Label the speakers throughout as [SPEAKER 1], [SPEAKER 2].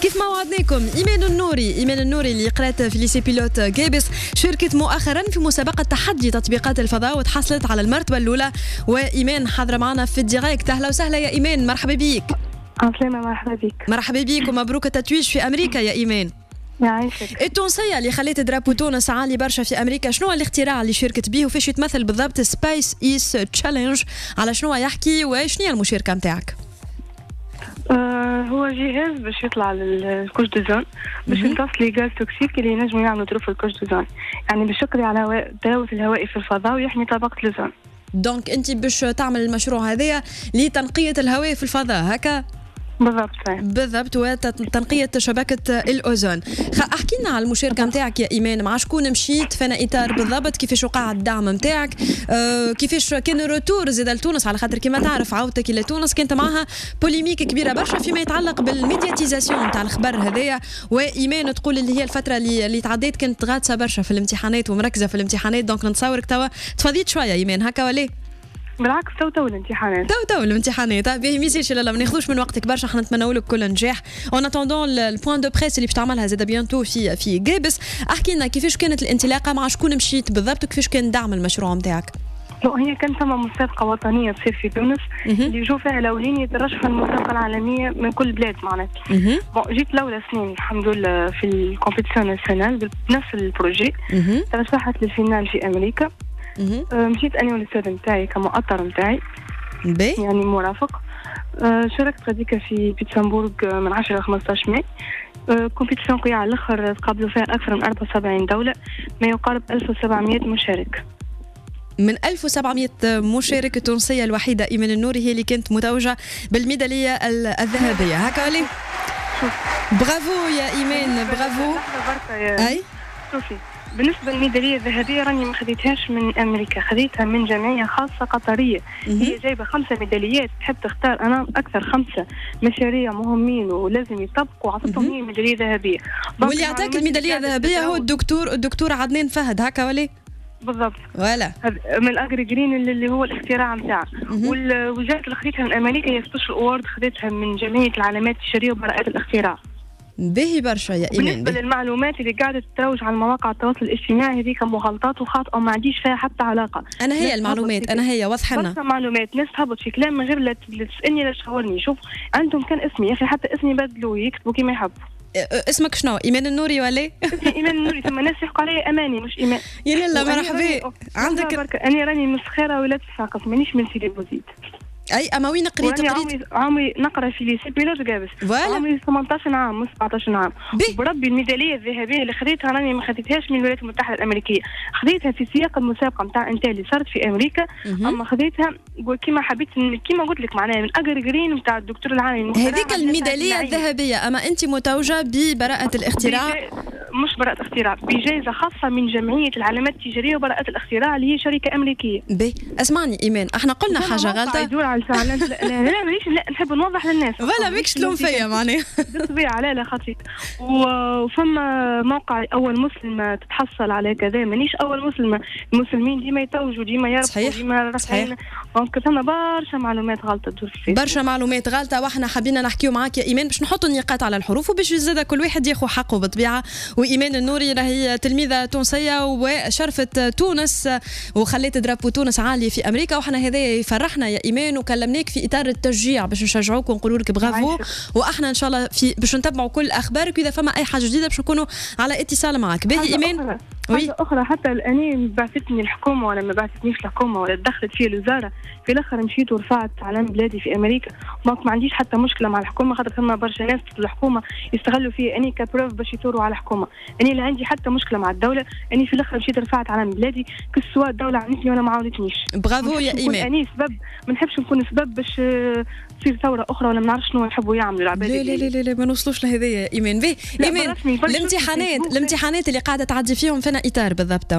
[SPEAKER 1] كيف ما وعدناكم ايمان النوري، ايمان النوري اللي قرات في lycée pilote قابس، شاركت مؤخرا في مسابقة تحدي تطبيقات الفضاء وتحصلت على المرتبة الاولى. وايمان حاضره معنا في ال direct. اهلا وسهلا يا ايمان، مرحبا بيك.
[SPEAKER 2] عسلامة، مرحبا بك.
[SPEAKER 1] مرحبا بيك ومبروك التتويج في امريكا يا ايمان.
[SPEAKER 2] يعيشك.
[SPEAKER 1] التونسية اللي خليت drapeau تونس عالي برشا في امريكا، شنو هو الاختراع اللي شاركت به وفاش يتمثل بالضبط Space Is Challenge؟ على شنو يحكي وشنو هي المشاركة نتاعك؟
[SPEAKER 2] هو جهاز باش يطلع لل couche d'ozone، باش يمتص les gaz toxiques اللي ينجموا يعملوا trou في ال couche d'ozone، يعني باش يقضي على التلوث الهوائي في الفضاء ويحمي طبقه الاوزون.
[SPEAKER 1] donc انت باش تعمل المشروع هذايا لتنقيه الهواء في الفضاء هكا؟
[SPEAKER 2] بالضبط.
[SPEAKER 1] بالضبط، وتنقية شبكة الأوزون. احكي لنا على المشاركة نتاعك يا إيمان، مع شكون مشيت، فانا إطار بالضبط، كيفاش وقع الدعم نتاعك، كيفاش كان ال retour زاد لتونس، على خاطر كما تعرف عودتك إلى تونس كانت معها polémique كبيرة برشا فيما يتعلق بال médiatisation نتاع الخبر هذايا. وإيمان تقول اللي هي الفترة اللي تعديت كانت غاطسة برشا في الامتحانات ومركزة في الامتحانات، donc نتصورك توا تفضيت شوية إيمان، هكا ولا؟
[SPEAKER 2] بالعكس، تو تو الامتحانات.
[SPEAKER 1] تو تو الامتحانات. باهي، ميسالش، لا لا ما ناخذوش من وقتك برشا، احنا نتمنوا لك كل نجاح en attendant ال point de presse اللي باش تعملها زاد bientôt في قابس. احكي لنا كيفاش كانت الانطلاقه، مع شكون مشيت بالضبط، وكيفاش كان دعم المشروع نتاعك؟
[SPEAKER 2] هي كان ثم مسابقة وطنية تصير في تونس اللي يجوا فيها الأولين يترشحوا المسابقة العالمية من كل بلاد معناتها. bon، جيت الأولى سنين الحمد لله في ال compétition nationale بنفس ال projet، ترشحت لل finale في أمريكا. مشيت انا والاستاذ نتاعي كمؤطر نتاعي، يعني مرافق. شاركت غاديكا في بيتسمبورغ من 10 ل 15 ماي، compétition قوية على الاخر، تقابلوا فيها اكثر من 74 دولة، ما يقارب 1700 مشارك.
[SPEAKER 1] من 1700 مشارك، التونسية الوحيدة إيمان النوري هي اللي كانت متوجة بالميدالية الذهبية، هكا ولا؟ برافو يا إيمان، برافو.
[SPEAKER 2] أي شوفي، بالنسبة للميدالية الذهبية راني ما خذيتهاش من أمريكا، خذيتها من جمعية خاصة قطرية. هي جايبة خمسة ميداليات، تحب تختار أنا أكثر خمسة مشاريع مهمين ولازم يطبقوا، عطتهم هي ميدالية ذهبية.
[SPEAKER 1] واللي أعطاك الميدالية الذهبية هو الدكتور عدنان فهد، هكا ولا؟
[SPEAKER 2] بالضبط.
[SPEAKER 1] voilà.
[SPEAKER 2] من ال Agri Green اللي هو الاختراع نتاعه. والجائزة اللي خذيتها من امريكا هي special award، خذيتها من جمعية العلامات التجارية وبراءات الاختراع.
[SPEAKER 1] باهي برشا يا ايمان.
[SPEAKER 2] بالنسبة للمعلومات اللي قاعدة تروج على مواقع التواصل الاجتماعي، هذيك مغالطات وخاطئه وما عنديش فيها حتى علاقه.
[SPEAKER 1] انا هي المعلومات، انا هي واضحة لنا.
[SPEAKER 2] برشا معلومات، ناس تهبط في كلام من غير لا تسالني لا تشاورني. شوف، عندهم كان اسمي يا اخي، حتى اسمي بدلوا، يكتبوا كيما يحبوا.
[SPEAKER 1] اسمك شنو؟ ايمان النوري ولا؟
[SPEAKER 2] اسمي ايمان النوري، ثم ناس يحكوا علي اماني مش ايمان.
[SPEAKER 1] يا لالا مرحبا.
[SPEAKER 2] عندك انا راني من الصخيره ولاية صفاقس، مانيش من سيدي بوزيد.
[SPEAKER 1] اي، اما وين قريت؟
[SPEAKER 2] قريت عمري نقرا في lycée pilote قابس.
[SPEAKER 1] voilà.
[SPEAKER 2] عمري 18 عام مش 17 عام. بربي الميداليه الذهبية اللي خذيتها راني ما خذيتهاش من الولايات المتحدة الامريكيه، خذيتها في سياق المسابقة نتاع انتل اللي صارت في امريكا. اما خذيتها كيما حبيت، كيما قلت لك، معناها من Agri Green نتاع الدكتور العالمي.
[SPEAKER 1] هذيك الميداليه الذهبيه، اما انت متوجه ببراءه الاختراع.
[SPEAKER 2] مش براءة اختراع، بجائزة خاصة من جمعية العلامات التجارية وبراءة الاختراع اللي هي شركة أمريكية.
[SPEAKER 1] باهي، اسمعني إيمان، احنا قلنا حاجة غلطة.
[SPEAKER 2] يدور على لا لا مانيش، لا نحب نوضح للناس.
[SPEAKER 1] voilà، ماكش تلوم فيا معناها.
[SPEAKER 2] بالطبيعة، لا لا خاطرك. وفما موقع أول مسلمة تتحصل على كذا، مانيش أول مسلمة، المسلمين ديما يتوجوا، ديما يربحوا، ديما.
[SPEAKER 1] صحيح.
[SPEAKER 2] donc ثم برشا معلومات غلطة تدور في
[SPEAKER 1] برشا معلومات غلطة، واحنا حبينا نحكيو معاك يا إيمان باش نحطوا النقاط على الحروف وباش زاد كل واحد ياخذ حقه بالطبيعة. وإيمان النوري راهي تلميذة تونسية وشرفت تونس وخليت drapeau تونس عالي في أمريكا، وحنا هذا يفرحنا يا إيمان، وكلمناك في إطار التشجيع باش نشجعوك ونقولوا لك برافو. واحنا إن شاء الله في باش نتبعوا كل أخبارك، وإذا فما أي حاجة جديدة باش نكونوا على اتصال معك. باهي إيمان.
[SPEAKER 2] حاجة أخرى، حتى الأني بعثتني الحكومة ولا ما بعثتنيش الحكومة ولا دخلت فيه الوزارة، في الآخر مشيت ورفعت علم بلادي في أمريكا، donc ما عنديش حتى مشكلة مع الحكومة، خاطر ثم برشا ناس في الحكومة يستغلوا فيه أني ك preuve باش يثوروا على الحكومة. أني لا عندي حتى مشكلة مع الدولة، أني في الآخر مشيت رفعت علم بلادي، que ce soit الدولة عاونتني ولا ما عاونتنيش.
[SPEAKER 1] برافو يا إيمان.
[SPEAKER 2] أني سبب، ما نحبش نكون سبب باش تصير ثورة أخرى ولا ما نعرفش شنو يحبوا يعملوا العباد.
[SPEAKER 1] لا لا لا لا، ما نوصلوش لهذايا إيمان. باهي إيمان، الامتحانات اللي قاعدة تعدي فيهم فينا إطار بالضبط؟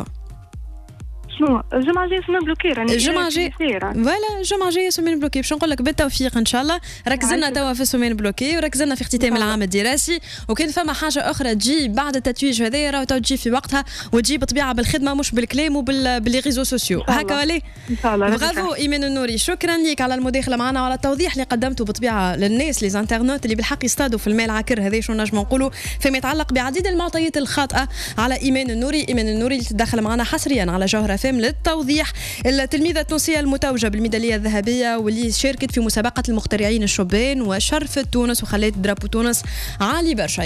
[SPEAKER 2] شنو الجمعة الجاية semaine bloquée راني.
[SPEAKER 1] الجمعة الجاية، voilà، الجمعة الجاية semaine bloquée. باش نقول لك بالتوفيق ان شاء الله. ركزنا توا في semaine bloquée وركزنا في اختتام العام الدراسي، وكان فما حاجة اخرى تجي بعد التتويج هذايا راهو تجي في وقتها، وتجي بطبيعة بالخدمة مش بالكلام وبال les réseaux sociaux. هكا ولا؟
[SPEAKER 2] ان شاء الله.
[SPEAKER 1] برافو ايمان النوري، شكرا لك على المداخلة معنا وعلى التوضيح اللي قدمته بطبيعة للناس les internautes اللي بالحق يصطادوا في الماء العكر هذا، شو نجم نقولوا، فيما يتعلق بعديد المعطيات الخاطئة على ايمان النوري. ايمان النوري اللي تدخل معنا حصريا على جوهرة فام للتوضيح، التلميذة التونسية المتوجه بالميداليه الذهبية واللي شاركت في مسابقة المخترعين الشبان وشرفت تونس وخلت drapeau تونس عالي برشا.